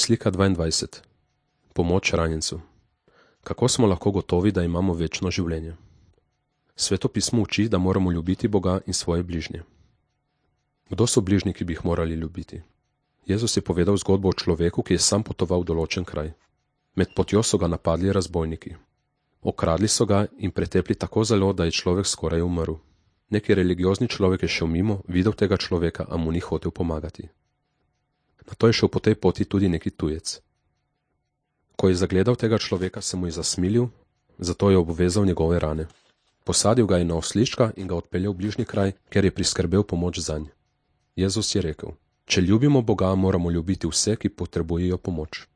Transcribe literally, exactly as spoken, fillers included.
Slika dvaindvajset. Pomoč ranjencu. Kako smo lahko gotovi, da imamo večno življenje? Sveto pismo uči, da moramo ljubiti Boga in svoje bližnje. Kdo so bližnji, ki bi jih morali ljubiti? Jezus je povedal zgodbo o človeku, ki je sam potoval v določen kraj. Med potjo so ga napadli razbojniki. Okradli so ga in pretepli tako zelo, da je človek skoraj umrl. Neki religiozni človek je šel mimo, videl tega človeka, a mu ni hotel pomagati. Nato je šel po tej poti tudi neki tujec. Ko je zagledal tega človeka, se mu je zasmilil, zato je obvezal njegove rane. Posadil ga je na oslička in ga odpeljal v bližnji kraj, kjer je priskrbel pomoč zanj. Jezus je rekel: če ljubimo Boga, moramo ljubiti vse, ki potrebujejo pomoč.